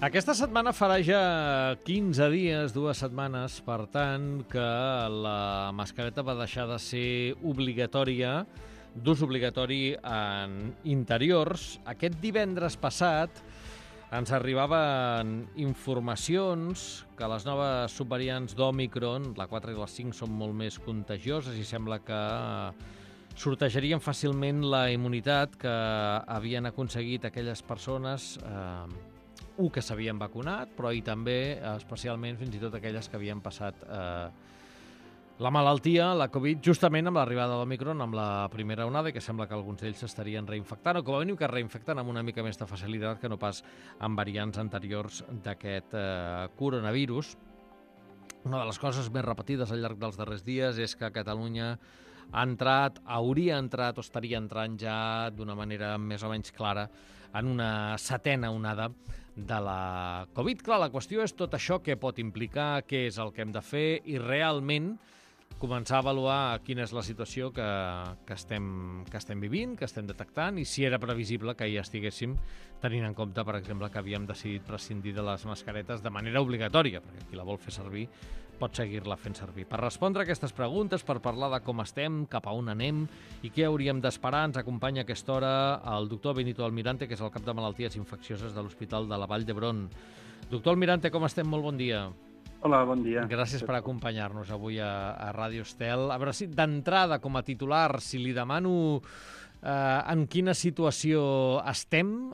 Aquesta setmana farà ja 15 dies, 2 setmanes, per tant, que la mascareta va deixar de ser obligatòria, d'ús obligatori en interiors. Aquest divendres passat ens arribaven informacions que les noves subvariants d'Òmicron, la 4 i la 5, són molt més contagioses i sembla que sortejarien fàcilment la immunitat que havien aconseguit aquelles persones que s'havien vacunat, però i també, especialment, fins i tot aquelles que havien passat la malaltia, la Covid, justament amb l'arribada de l'Òmicron, amb la primera onada, i que sembla que alguns d'ells s'estarien reinfectant, o com a mínim que es reinfecten amb una mica més de facilitat que no pas amb variants anteriors d'aquest coronavirus. Una de les coses més repetides al llarg dels darrers dies és que a Catalunya hauria entrat o estaria entrant ja d'una manera més o menys clara en una setena onada de la Covid. Clar, la qüestió és tot això què pot implicar, què és el que hem de fer i realment començar a avaluar quina és la situació que estem vivint, que estem detectant i si era previsible que hi estiguéssim, tenint en compte, per exemple, que havíem decidit prescindir de les mascaretes de manera obligatòria, perquè qui la vol fer servir pot seguir-la fent servir. Per respondre a aquestes preguntes, per parlar de com estem, cap a on anem i què hauríem d'esperar, ens acompanya a aquesta hora el doctor Benito Almirante, que és el cap de malalties infeccioses de l'Hospital de la Vall d'Hebron. Doctor Almirante, com estem? Molt bon dia. Hola, bon dia. Gràcies per acompanyar-nos avui a Ràdio Estel. A veure si d'entrada, com a titular, si li demano en quina situació estem,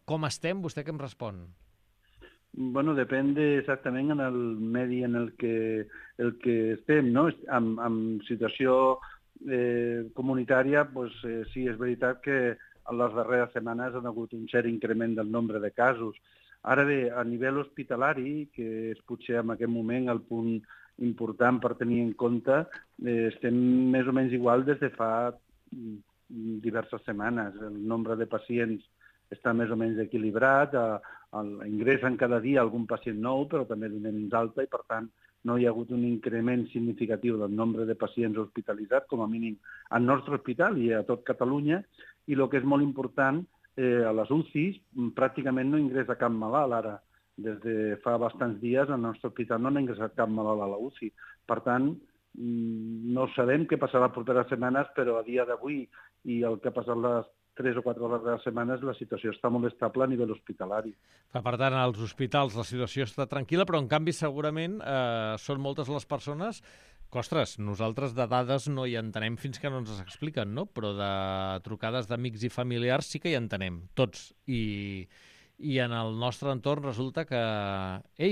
com estem, vostè què em respon? Bueno, depèn exactament en el medi en el que estem, no? En situació comunitària, doncs, sí, és veritat que en les darreres setmanes ha hagut un cert increment del nombre de casos. Ara bé, a nivell hospitalari, que és potser en aquest moment el punt important per tenir en compte, estem més o menys igual des de fa diverses setmanes. El nombre de pacients està més o menys equilibrat, ingressen cada dia algun pacient nou, però també donem d'alta i, per tant, no hi ha hagut un increment significatiu del nombre de pacients hospitalitzats, com a mínim al nostre hospital i a tot Catalunya, i el que és molt important, a les UCIs pràcticament no ingressa cap malalt ara. Des de fa bastants dies al nostre hospital no ha ingressat cap malalt a la UCI. Per tant, no sabem què passarà les properes setmanes, però a dia d'avui i el que ha passat les 3 o 4 darreres setmanes, la situació està molt estable a nivell hospitalari. Per tant, als hospitals la situació està tranquil·la, però en canvi segurament són moltes les persones que, ostres, nosaltres de dades no hi entenem fins que no ens les expliquen, no? Però de trucades d'amics i familiars sí que hi entenem, tots. I en el nostre entorn resulta que,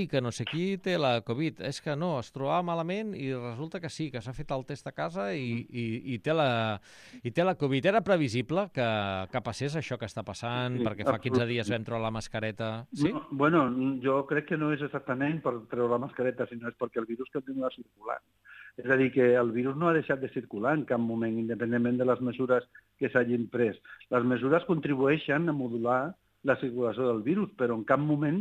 que no sé qui té la Covid, és que no, es trobava malament i resulta que sí, que s'ha fet el test a casa i té la Covid. Era previsible que passés això que està passant, perquè fa 15 dies vam treure la mascareta? Sí? No, bueno, jo crec que no és exactament per treure la mascareta, sinó és perquè el virus continua circulant. És a dir, que el virus no ha deixat de circular en cap moment, independentment de les mesures que s'hagin pres. Les mesures contribueixen a modular la circulació del virus, però en cap moment,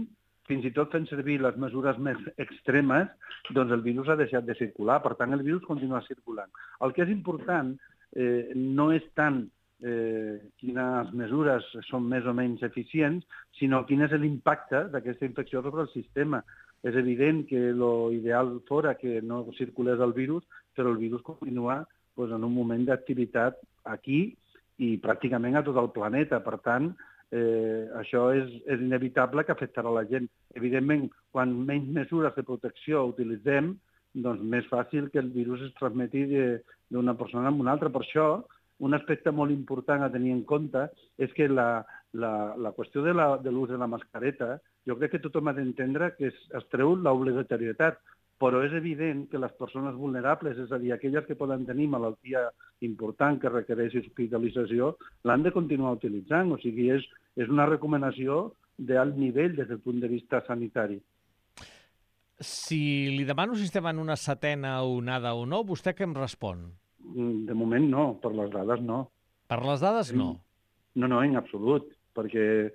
fins i tot fent servir les mesures més extremes, doncs el virus ha deixat de circular. Per tant, el virus continua circulant. El que és important no és tant quines mesures són més o menys eficients, sinó quin és l'impacte d'aquesta infecció sobre el sistema. És evident que l'ideal fora que no circulés el virus, però el virus continua en un moment d'activitat aquí i pràcticament a tot el planeta. Per tant, això és inevitable que afectarà la gent. Evidentment, quan menys mesures de protecció utilitzem, doncs més fàcil que el virus es transmeti d'una persona a una altra. Per això, un aspecte molt important a tenir en compte és que la qüestió de l'ús de la mascareta, jo crec que tothom ha d'entendre que es treu l'obligatorietat, però és evident que les persones vulnerables, és a dir, aquelles que poden tenir malaltia important que requereix hospitalització, l'han de continuar utilitzant. O sigui, és una recomanació d'alt nivell des del punt de vista sanitari. Si li demano si estem en una setena onada o no, vostè què em respon? De moment no, per les dades no. Per les dades no? No, en absolut, perquè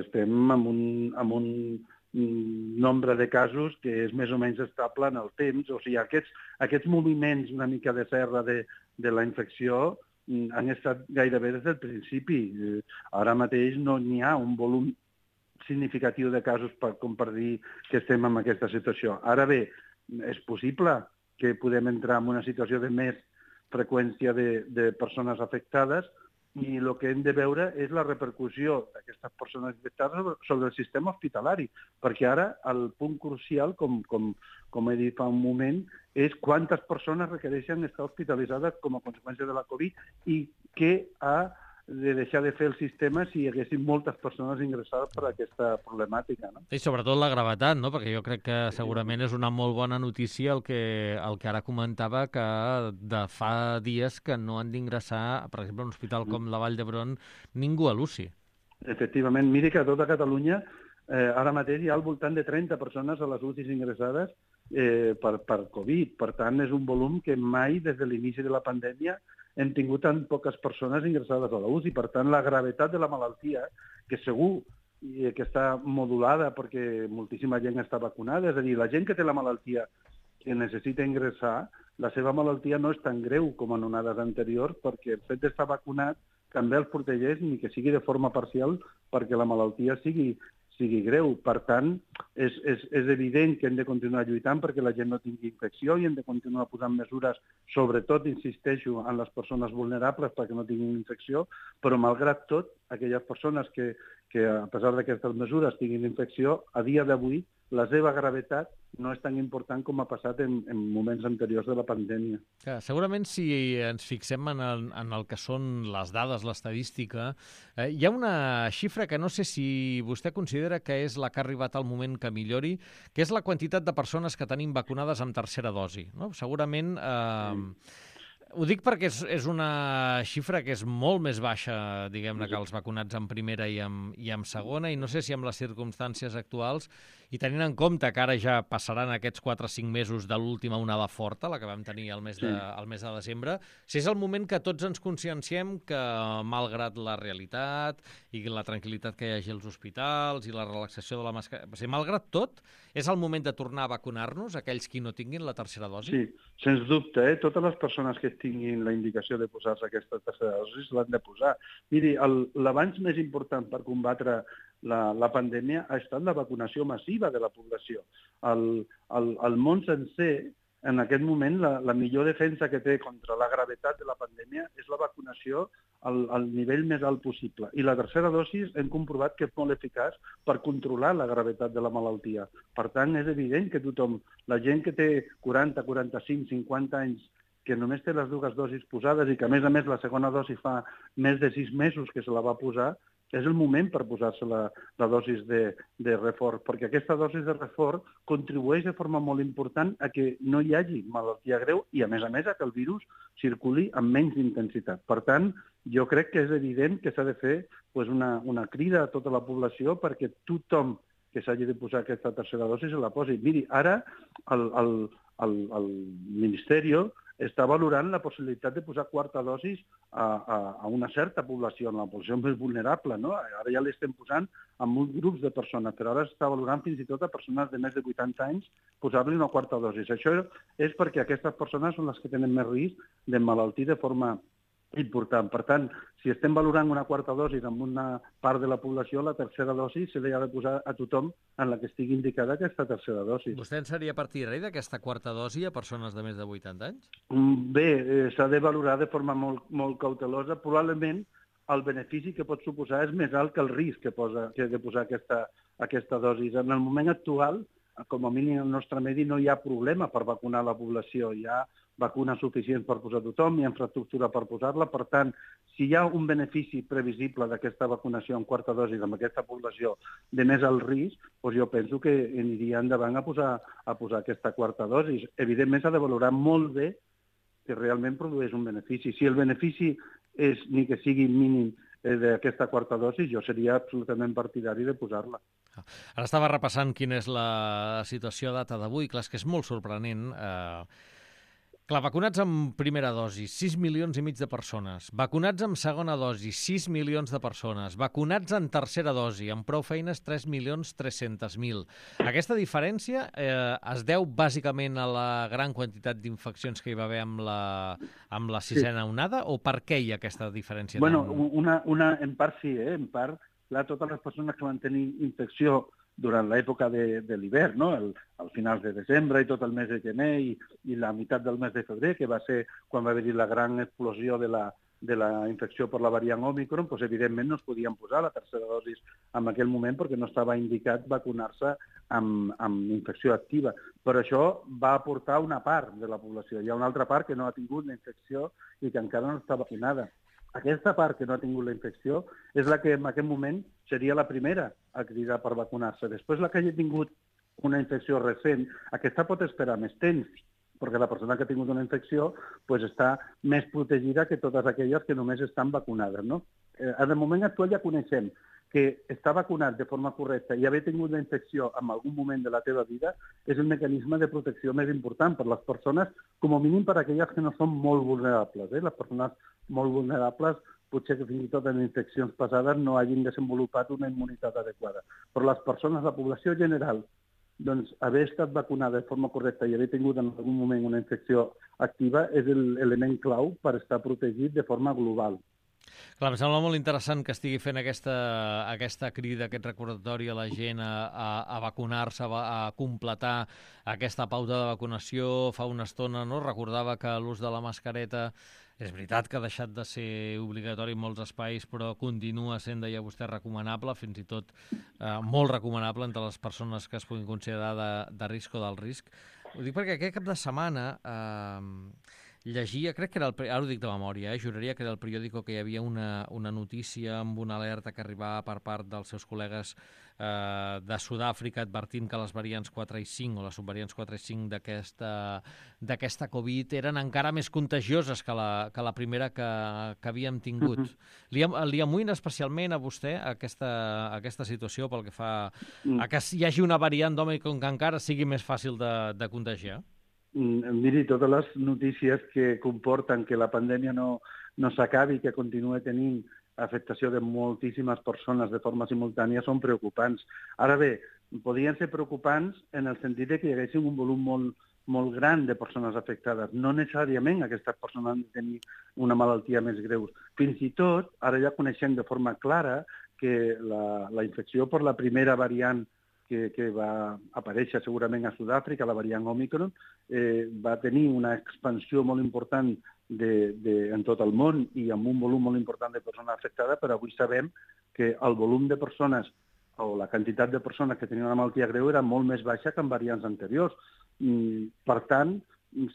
estem amb un nombre de casos que és més o menys estable en el temps. O sigui, aquests moviments una mica de serra de la infecció han estat gairebé des del principi. Ara mateix no n'hi ha un volum significatiu de casos com per dir que estem en aquesta situació. Ara bé, és possible que podem entrar en una situació de més freqüència de persones afectades i el que hem de veure és la repercussió d'aquestes persones infectades sobre el sistema hospitalari, perquè ara el punt crucial, com he dit fa un moment, és quantes persones requereixen estar hospitalitzades com a conseqüència de la Covid i què ha de deixar de fer el sistema si hi haguessin moltes persones ingressades per aquesta problemàtica. No? I sobretot la gravetat, no? Perquè jo crec que segurament és una molt bona notícia el que ara comentava, que de fa dies que no han d'ingressar, per exemple, a un hospital com la Vall d'Hebron, ningú a l'UCI. Efectivament. Miri que a tota Catalunya ara mateix hi ha al voltant de 30 persones a les UCIs ingressades per Covid. Per tant, és un volum que mai, des de l'inici de la pandèmia, hem tingut tan poques persones ingressades a la UCI. Per tant, la gravetat de la malaltia, que segur que està modulada perquè moltíssima gent està vacunada, és a dir, la gent que té la malaltia que necessita ingressar, la seva malaltia no és tan greu com en onades anteriors perquè el fet d'estar vacunat també els protegeix, ni que sigui de forma parcial, perquè la malaltia sigui greu. Per tant, és evident que hem de continuar lluitant perquè la gent no tingui infecció i hem de continuar posant mesures, sobretot, insisteixo, en les persones vulnerables perquè no tinguin infecció, però malgrat tot, aquelles persones que a pesar d'aquestes mesures tinguin infecció, a dia d'avui la seva gravetat no és tan important com ha passat en moments anteriors de la pandèmia. Segurament, si ens fixem en el que són les dades, l'estadística, hi ha una xifra que no sé si vostè considera que és la que ha arribat al moment que millori, que és la quantitat de persones que tenim vacunades amb tercera dosi. No? Segurament... Ho dic perquè és una xifra que és molt més baixa, diguem-ne, que els vacunats en primera i en segona, i no sé si amb les circumstàncies actuals, i tenint en compte que ara ja passaran aquests 4 o 5 mesos de l'última onada forta, la que vam tenir el mes de desembre, si és el moment que tots ens conscienciem que, malgrat la realitat i la tranquil·litat que hi hagi als hospitals i la relaxació de la mascareta, o sigui, malgrat tot, és el moment de tornar a vacunar-nos, aquells qui no tinguin la tercera dosi? Sí, sens dubte. Totes les persones que tinguin la indicació de posar-se aquesta tercera dosi l'han de posar. Miri, l'avanç més important per combatre la pandèmia ha estat la vacunació massiva de la població. El món sencer, en aquest moment, la millor defensa que té contra la gravetat de la pandèmia és la vacunació al nivell més alt possible. I la tercera dosi hem comprovat que és molt eficaç per controlar la gravetat de la malaltia. Per tant, és evident que tothom, la gent que té 40, 45, 50 anys, que només té les 2 dosis posades i que, a més, la segona dosi fa més de 6 mesos que se la va posar, és el moment per posar-se la dosis de reforç, perquè aquesta dosis de reforç contribueix de forma molt important a que no hi hagi malaltia greu i, a més, a que el virus circuli amb menys intensitat. Per tant, jo crec que és evident que s'ha de fer una crida a tota la població perquè tothom que s'hagi de posar aquesta tercera dosi se la posi. Miri, ara el Ministeri està valorant la possibilitat de posar quarta dosis a una certa població, en la població més vulnerable, no? Ara ja l'estem posant a molts grups de persones, però ara s'està valorant fins i tot a persones de més de 80 anys posar-li una quarta dosis. Això és perquè aquestes persones són les que tenen més risc d'emmalaltir de forma important. Per tant, si estem valorant una quarta dosi amb una part de la població, la tercera dosi se li ha de posar a tothom en la que estigui indicada aquesta tercera dosi. Vostè en seria partidari d'aquesta quarta dosi a persones de més de 80 anys? Bé, s'ha de valorar de forma molt cautelosa. Probablement el benefici que pot suposar és més alt que el risc que de posar aquesta dosi. En el moment actual, com a mínim al nostre medi, no hi ha problema per vacunar la població. Hi ha vacunes suficients per posar tothom, hi ha infraestructura per posar-la. Per tant, si hi ha un benefici previsible d'aquesta vacunació en quarta dosi amb aquesta població de més alt risc, doncs jo penso que aniria endavant a posar aquesta quarta dosi. Evidentment s'ha de valorar molt bé que realment produeix un benefici. Si el benefici és ni que sigui mínim d'aquesta quarta dosi, jo seria absolutament partidari de posar-la. Ara estava repassant quina és la situació a data d'avui. Clar, és que és molt sorprenent. Clar, vacunats amb primera dosi, 6 milions i mig de persones. Vacunats amb segona dosi, 6 milions de persones. Vacunats en tercera dosi, amb prou feines, 3.300.000. Aquesta diferència es deu bàsicament a la gran quantitat d'infeccions que hi va haver amb la sisena onada, o per què hi ha aquesta diferència? Bueno, en part sí, en part clar, totes les persones que van tenir infecció durant l'època de l'hivern, no? Al finals de desembre i tot el mes de gener i la meitat del mes de febrer, que va ser quan va haver-hi la gran explosió de la infecció per la variant Òmicron, doncs evidentment no es podien posar la tercera dosi en aquell moment perquè no estava indicat vacunar-se amb infecció activa. Però això va aportar una part de la població. Hi ha una altra part que no ha tingut la infecció i que encara no està vacunada. Aquesta part que no ha tingut la infecció és la que en aquest moment seria la primera a cridar per vacunar-se. Després, la que hagi tingut una infecció recent, aquesta pot esperar més temps, perquè la persona que ha tingut una infecció pues, està més protegida que totes aquelles que només estan vacunades. No? En el moment actual ja coneixem que estar vacunat de forma correcta i haver tingut la infecció en algun moment de la teva vida és el mecanisme de protecció més important per les persones, com a mínim per aquelles que no són molt vulnerables. Les persones molt vulnerables potser que fins i tot en infeccions passades no hagin desenvolupat una immunitat adequada. Però les persones, la població general, doncs haver estat vacunada de forma correcta i haver tingut en algun moment una infecció activa és l'element clau per estar protegit de forma global. Clar, em sembla molt interessant que estigui fent aquesta crida, aquest recordatori a la gent a vacunar-se, a completar aquesta pauta de vacunació. Fa una estona no? Recordava que l'ús de la mascareta és veritat que ha deixat de ser obligatori en molts espais, però continua sent, deia vostè, recomanable, fins i tot molt recomanable entre les persones que es puguin considerar de risc o del risc. Ho dic perquè aquest cap de setmana llegia, crec que era ara ho dic de memòria, juraria que era el periòdico que hi havia una notícia amb una alerta que arribava per part dels seus col·legues de Sud-àfrica advertint que les variants 4 i 5 o les subvariants 4 i 5 d'aquesta Covid eren encara més contagioses que la primera que havíem tingut. Li amoïna especialment a vostè aquesta situació pel que fa a que hi hagi una variant d'Òmicron que encara sigui més fàcil de contagiar? Miri, totes les notícies que comporten que la pandèmia no s'acabi, que continua tenint afectació de moltíssimes persones de forma simultània, són preocupants. Ara bé, podrien ser preocupants en el sentit que hi hagués un volum molt gran de persones afectades. No necessàriament aquestes persones han de tenir una malaltia més greu. Fins i tot, ara ja coneixem de forma clara que la infecció per la primera variant que va aparèixer segurament a Sud-àfrica, la variant Òmicron, va tenir una expansió molt important en tot el món i amb un volum molt important de persones afectades, però avui sabem que el volum de persones o la quantitat de persones que tenien una malaltia greu era molt més baixa que en variants anteriors. Per tant,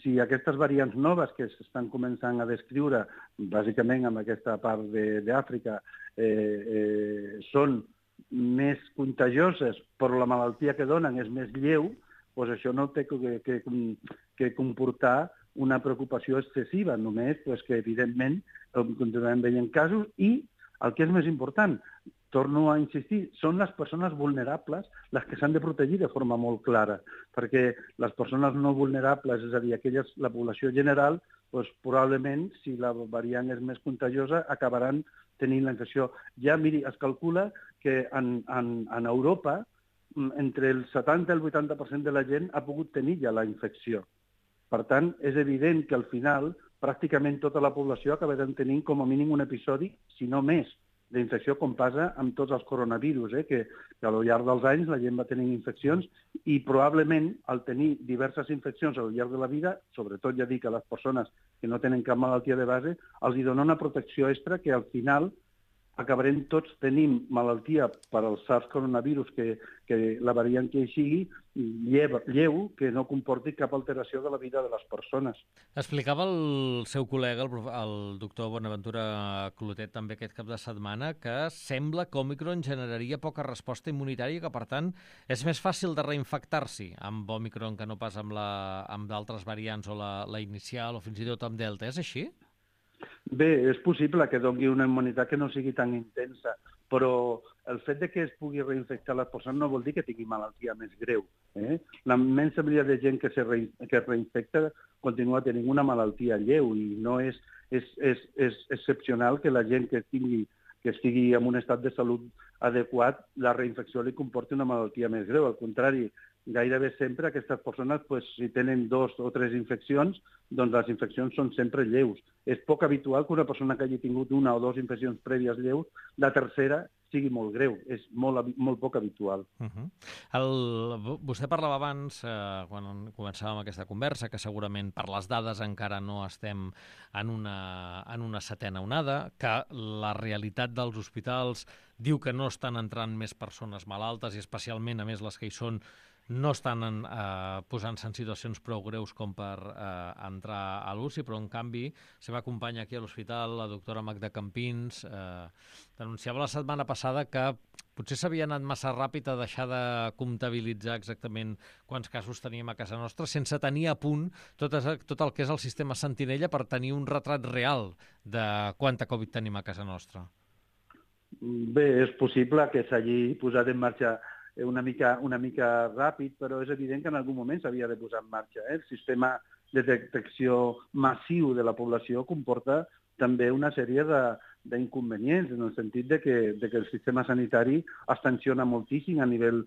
si aquestes variants noves que s'estan començant a descriure, bàsicament en aquesta part d'Àfrica, són més contagioses, però la malaltia que donen és més lleu, doncs això no té que comportar una preocupació excessiva, només que evidentment continuem veient casos i el que és més important, torno a insistir, són les persones vulnerables les que s'han de protegir de forma molt clara, perquè les persones no vulnerables, és a dir, la població general, doncs probablement, si la variant és més contagiosa, acabaran tenint la infecció. Ja, miri, es calcula que en Europa entre el 70 i el 80% de la gent ha pogut tenir ja la infecció. Per tant, és evident que al final pràcticament tota la població acabarà tenint com a mínim un episodi, si no més, d'infecció, com passa amb tots els coronavirus, que al llarg dels anys la gent va tenint infeccions i probablement al tenir diverses infeccions al llarg de la vida, sobretot ja dic a les persones que no tenen cap malaltia de base, els hi dona una protecció extra que al final acabarem tots tenint malaltia per al SARS-coronavirus, que la variant que hi sigui, lleu, que no comporti cap alteració de la vida de les persones. Explicava el seu col·lega, el doctor Bonaventura Clotet, també aquest cap de setmana, que sembla que Òmicron generaria poca resposta immunitària i que, per tant, és més fàcil de reinfectar-s'hi amb Òmicron que no pas amb d'altres variants o la inicial o fins i tot amb Delta. És així? Bé, és possible que doni una immunitat que no sigui tan intensa, però el fet de que es pugui reinfectar les persones no vol dir que tingui malaltia més greu. La immensa majoria de gent que es reinfecta continua tenint una malaltia lleu i no és excepcional que la gent que estigui en un estat de salut adequat, la reinfecció li comporti una malaltia més greu. Al contrari, gairebé sempre aquestes persones, si tenen 2 o 3 infeccions, doncs les infeccions són sempre lleus. És poc habitual que una persona que hagi tingut 1 o 2 infeccions prèvies lleus, la tercera sigui molt greu. És molt poc habitual. Vostè parlava abans, quan començàvem aquesta conversa, que segurament per les dades encara no estem en una setena onada, que la realitat dels hospitals diu que no estan entrant més persones malaltes i especialment, a més, les que hi són, no estan posant-se en situacions prou greus com per entrar a l'UCI, però en canvi la seva companya aquí a l'hospital, la doctora Magda Campins, denunciava la setmana passada que potser s'havia anat massa ràpid a deixar de comptabilitzar exactament quants casos teníem a casa nostra, sense tenir a punt tot el que és el sistema Sentinella per tenir un retrat real de quanta Covid tenim a casa nostra. Bé, és possible que s'hagi posat en marxa una mica ràpid, però és evident que en algun moment s'havia de posar en marxa. El sistema de detecció massiu de la població comporta també una sèrie d'inconvenients, en el sentit de que el sistema sanitari es tensiona moltíssim a nivell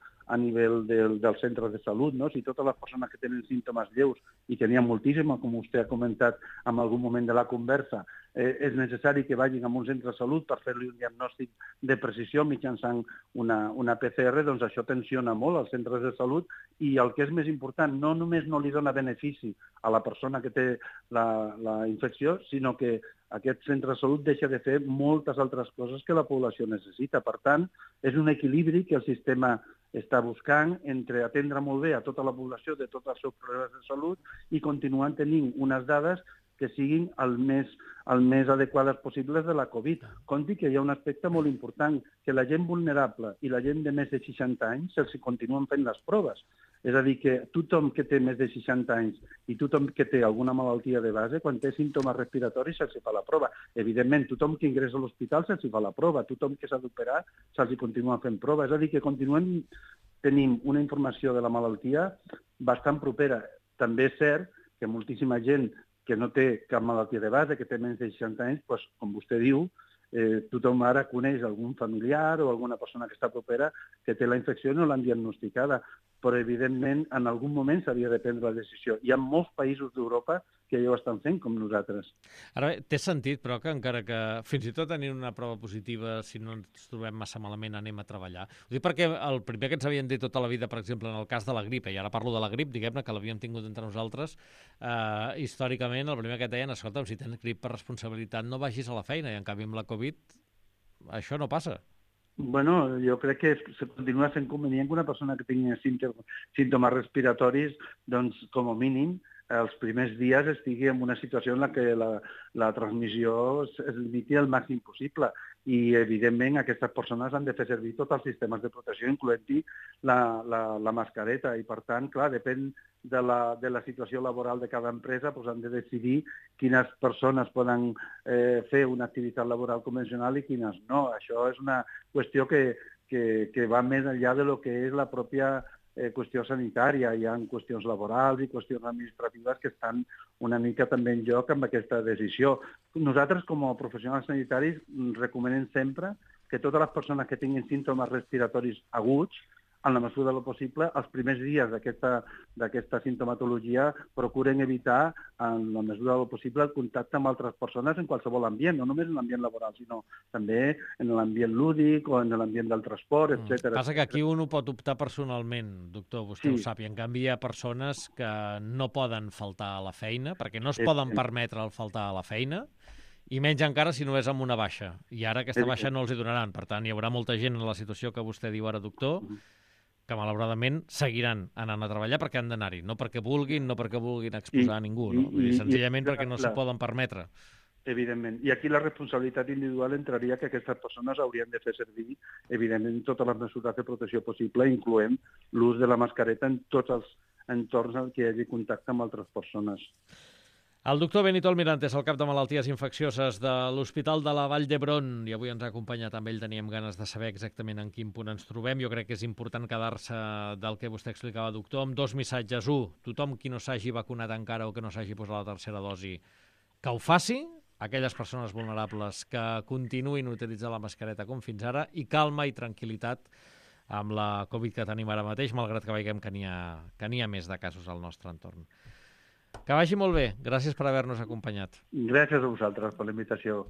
dels centres de salut. No? Si totes les persones que tenen símptomes lleus, i tenien moltíssimes, com vostè ha comentat en algun moment de la conversa, és necessari que vagin a un centre de salut per fer-li un diagnòstic de precisió mitjançant una PCR, doncs això tensiona molt els centres de salut, i el que és més important, no només no li dona benefici a la persona que té la infecció, sinó que aquest centre de salut deixa de fer moltes altres coses que la població necessita. Per tant, és un equilibri que el sistema està buscant entre atendre molt bé a tota la població de tots els seus problemes de salut i continuant tenint unes dades que siguin el més adequades possibles de la Covid. Compti que hi ha un aspecte molt important, que la gent vulnerable i la gent de més de 60 anys se'ls continuen fent les proves. És a dir, que tothom que té més de 60 anys i tothom que té alguna malaltia de base, quan té símptomes respiratoris se'ls fa la prova. Evidentment, tothom que ingressa a l'hospital se'ls fa la prova, tothom que s'ha d'operar se'ls continua fent prova. És a dir, que continuem tenint una informació de la malaltia bastant propera. També és cert que moltíssima gent que no té cap malaltia de base, que té menys de 60 anys, doncs, com vostè diu, tothom ara coneix algun familiar o alguna persona que està propera que té la infecció i no l'han diagnosticada. Però, evidentment, en algun moment s'havia de prendre la decisió. Hi ha molts països d'Europa que ja ho estan fent, com nosaltres. Ara bé, té sentit, però, que encara que fins i tot tenint una prova positiva, si no ens trobem massa malament, anem a treballar. Ho dic perquè el primer que ens havien dit tota la vida, per exemple, en el cas de la grip, i ara parlo de la grip, diguem-ne, que l'havíem tingut entre nosaltres, històricament, el primer que et deien, escolta, si tens grip per responsabilitat, no vagis a la feina, i en canvi amb la Covid això no passa. Bueno, jo crec que continua sent convenient que una persona que tingui símptomes respiratoris, doncs, com a mínim, els primers dies estigui en una situació en la que la transmissió es limiti al màxim possible. I, evidentment, aquestes persones han de fer servir tots els sistemes de protecció, incloent-hi la mascareta. I, per tant, clar, depèn de la situació laboral de cada empresa, doncs han de decidir quines persones poden fer una activitat laboral convencional i quines no. Això és una qüestió que va més enllà de lo que és la pròpia qüestió sanitària. Hi ha qüestions laborals i qüestions administratives que estan una mica també en joc amb aquesta decisió. Nosaltres, com a professionals sanitaris, recomanem sempre que totes les persones que tinguin símptomes respiratoris aguts, en la mesura del possible, els primers dies d'aquesta simptomatologia procuren evitar, en la mesura del possible, el contacte amb altres persones en qualsevol ambient, no només en l'ambient laboral, sinó també en l'ambient lúdic o en l'ambient del transport, etc. Passa que aquí un ho pot optar personalment, doctor, vostè ho sap, i en canvi hi ha persones que no poden faltar a la feina, perquè no es poden permetre el faltar a la feina, i menys encara si no és amb una baixa. I ara aquesta baixa no els hi donaran. Per tant, hi haurà molta gent en la situació que vostè diu ara, doctor, que malauradament seguiran anant a treballar perquè han d'anar-hi, no perquè vulguin exposar a ningú, no? Senzillament perquè no s'ho poden permetre. Evidentment. I aquí la responsabilitat individual entraria que aquestes persones haurien de fer servir, evidentment, totes les mesures de protecció possible, incloent l'ús de la mascareta en tots els entorns en què hi hagi contacte amb altres persones. El doctor Benito Almirante és el cap de malalties infeccioses de l'Hospital de la Vall d'Hebron i avui ens ha acompanyat amb ell. Teníem ganes de saber exactament en quin punt ens trobem. Jo crec que és important quedar-se del que vostè explicava, doctor, amb 2 missatges. 1, tothom qui no s'hagi vacunat encara o que no s'hagi posat la tercera dosi, que ho faci. Aquelles persones vulnerables que continuïn utilitzant la mascareta com fins ara, i calma i tranquil·litat amb la Covid que tenim ara mateix, malgrat que veiem que n'hi ha més de casos al nostre entorn. Que vagi molt bé. Gràcies per haver-nos acompanyat. Gràcies a vosaltres per la invitació.